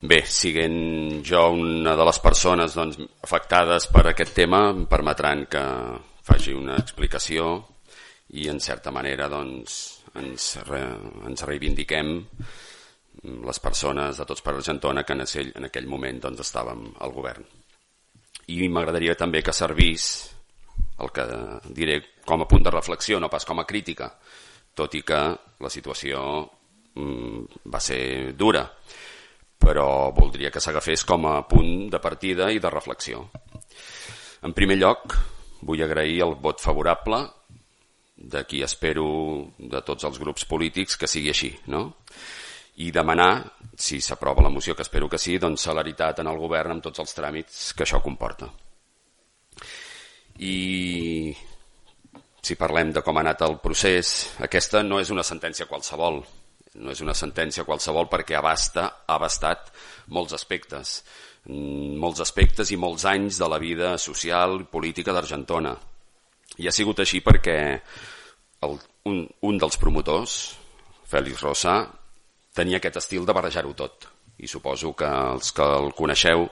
Bé, siguent jo una de les persones afectades per aquest tema, em permetran que faci una explicació i en certa manera ens reivindiquem les persones de Tots per Argentona que en aquell moment estàvem al govern. I m'agradaria també que servís el que diré com a punt de reflexió, no pas com a crítica, tot i que la situació va ser dura, però voldria que s'agafés com a punt de partida i de reflexió. En primer lloc, vull agrair el vot favorable de qui espero de tots els grups polítics que sigui així, no? I demanar, si s'aprova la moció, que espero que sí, celeritat en el govern amb tots els tràmits que això comporta. I si parlem de com ha anat el procés, aquesta no és una sentència qualsevol, perquè ha abastat molts aspectes i molts anys de la vida social i política d'Argentona. I ha sigut així perquè un dels promotors, Félix Rosa, tenia aquest estil de barrejar-ho tot. I suposo que els que el coneixeu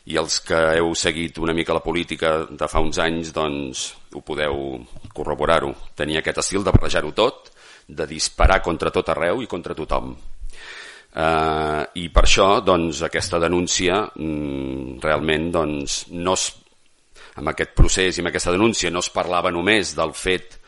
i els que heu seguit una mica la política de fa uns anys, ho podeu corroborar-ho. Tenia aquest estil de barrejar-ho tot, de disparar contra tot arreu i contra tothom. I per això aquesta denúncia realment amb aquest procés i amb aquesta denúncia no es parlava només del fet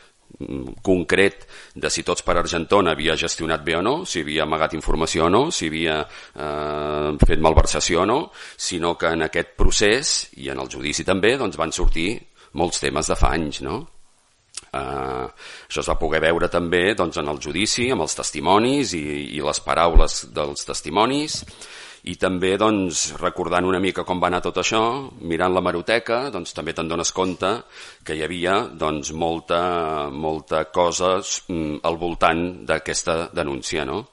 concret de si Tots per Argentona havia gestionat bé o no, si havia amagat informació o no, si havia fet malversació o no, sinó que en aquest procés i en el judici també van sortir molts temes de fa anys, no? Això es va poder veure també en el judici, amb els testimonis i les paraules dels testimonis, i també recordant una mica com va anar tot això, mirant l'hemeroteca, també te'n dones compte que hi havia molta cosa al voltant d'aquesta denúncia, no?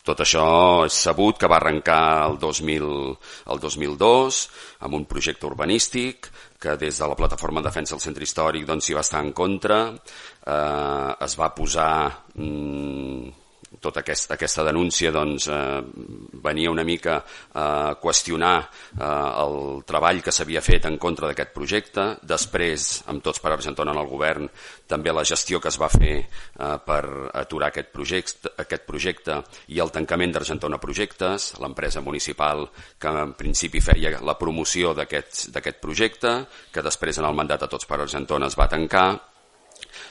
Tot això és sabut que va arrencar el 2002 amb un projecte urbanístic que des de la Plataforma en Defensa del Centre Històric s'hi va estar en contra. Es va posar tota aquesta denúncia venia una mica a qüestionar el treball que s'havia fet en contra d'aquest projecte. Després, amb Tots per Argentona en el govern, també la gestió que es va fer per aturar aquest projecte i el tancament d'Argentona Projectes, l'empresa municipal que en principi feia la promoció d'aquest projecte, que després en el mandat de Tots per Argentona es va tancar,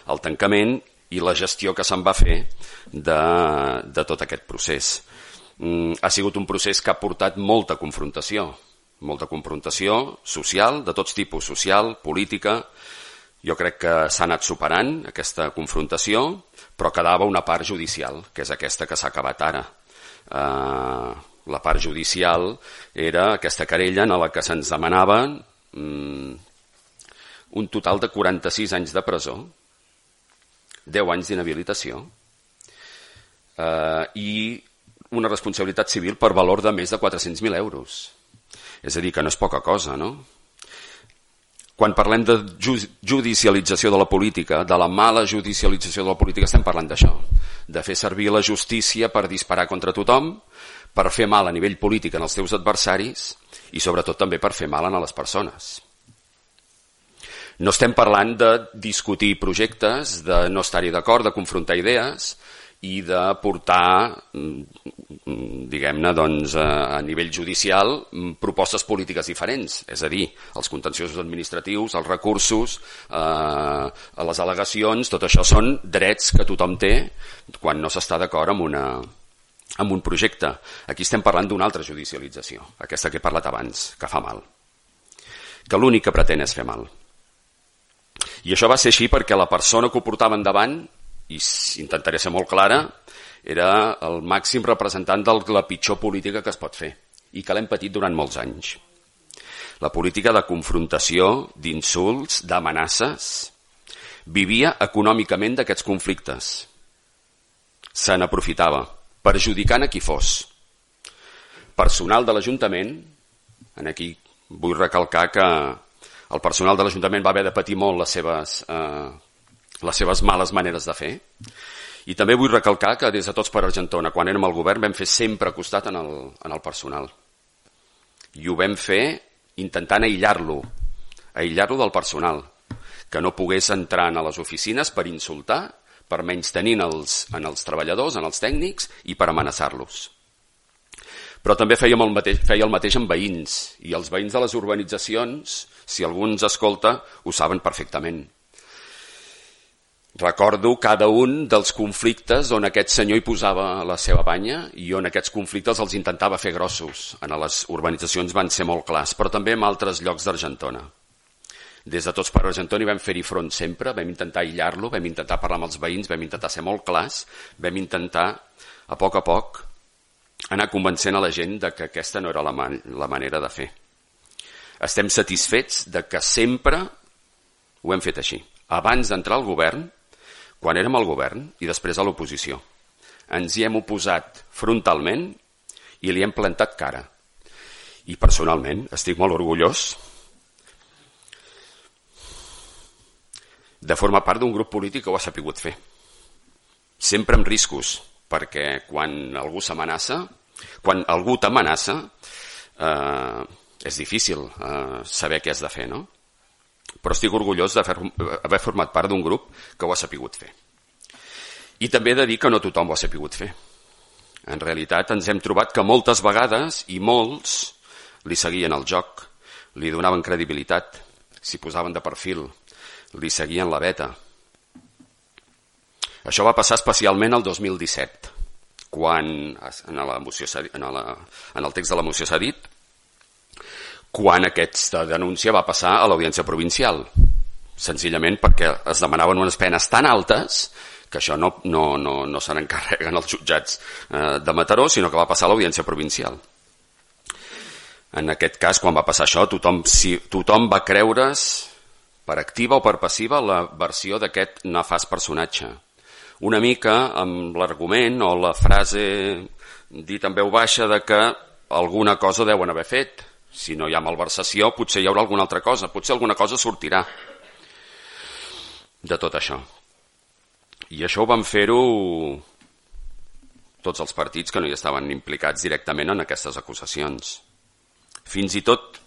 el tancament i la gestió que se'n va fer de tot aquest procés. Ha sigut un procés que ha portat molta confrontació social, de tots tipus, social, política. Jo crec que s'ha anat superant aquesta confrontació, però quedava una part judicial, que és aquesta que s'ha acabat ara. La part judicial era aquesta querella en la que se'ns demanaven un total de 46 anys de presó, 10 anys d'inhabilitació i una responsabilitat civil per valor de més de 400.000 euros. És a dir, que no és poca cosa, no? Quan parlem de judicialització de la política, de la mala judicialització de la política, estem parlant d'això, de fer servir la justícia per disparar contra tothom, per fer mal a nivell polític en els teus adversaris i sobretot també per fer mal a les persones. No estem parlant de discutir projectes, de no estar-hi d'acord, de confrontar idees i de portar, diguem-ne, a nivell judicial propostes polítiques diferents. És a dir, els contenciosos administratius, els recursos, les al·legacions, tot això són drets que tothom té quan no s'està d'acord amb un projecte. Aquí estem parlant d'una altra judicialització, aquesta que he parlat abans, que fa mal, que l'únic que pretén és fer mal. I això va ser així perquè la persona que ho portava endavant, i intentaré ser molt clara, era el màxim representant de la pitjor política que es pot fer i que l'hem patit durant molts anys. La política de confrontació, d'insults, d'amenaces, vivia econòmicament d'aquests conflictes. Se n'aprofitava, perjudicant a qui fos. Personal de l'Ajuntament, aquí vull recalcar que el personal de l'Ajuntament va haver de patir molt les seves males maneres de fer I també vull recalcar que des de Tots per Argentona, quan érem al govern, vam fer sempre costat en el personal. I ho vam fer intentant aïllar-lo del personal, que no pogués entrar a les oficines per insultar, per menystenir en els treballadors, en els tècnics i per amenaçar-los. Però també feia el mateix amb veïns, i els veïns de les urbanitzacions, si algú ens escolta, ho saben perfectament. Recordo cada un dels conflictes on aquest senyor hi posava la seva banya i on aquests conflictes els intentava fer grossos. En les urbanitzacions van ser molt clars, però també en altres llocs d'Argentona. Des de Tots per Argentona vam fer-hi front sempre, vam intentar aïllar-lo, vam intentar parlar amb els veïns, vam intentar ser molt clars, vam intentar, a poc, anar convencent a la gent de que aquesta no era la manera de fer. Estem satisfets de que sempre ho hem fet així. Abans d'entrar al govern, quan érem al govern i després a l'oposició, ens hi hem oposat frontalment i li hem plantat cara. I personalment estic molt orgullós de formar part d'un grup polític que ho ha sapigut fer. Sempre amb riscos, perquè quan algú s'amenaça, quan algú t'amenaça, és difícil saber què has de fer, no? Però estic orgullós d'haver format part d'un grup que ho ha sapigut fer. I també he de dir que no tothom ho ha sapigut fer. En realitat ens hem trobat que moltes vegades i molts li seguien el joc, li donaven credibilitat, s'hi posaven de perfil, li seguien la veta. Això va passar especialment el 2017, quan en el text de la moció s'ha dit, quan aquesta denúncia va passar a l'Audiència Provincial, senzillament perquè es demanaven unes penes tan altes que això no se n'encarreguen els jutjats de Mataró, sinó que va passar a l'Audiència Provincial. En aquest cas, quan va passar això, tothom va creure's, per activa o per passiva, la versió d'aquest nefast personatge. Una mica amb l'argument o la frase dit en veu baixa de que alguna cosa deuen haver fet. Si no hi ha malversació, potser hi haurà alguna altra cosa, potser alguna cosa sortirà de tot això. I això ho van fer-ho tots els partits que no hi estaven implicats directament en aquestes acusacions. Fins i tot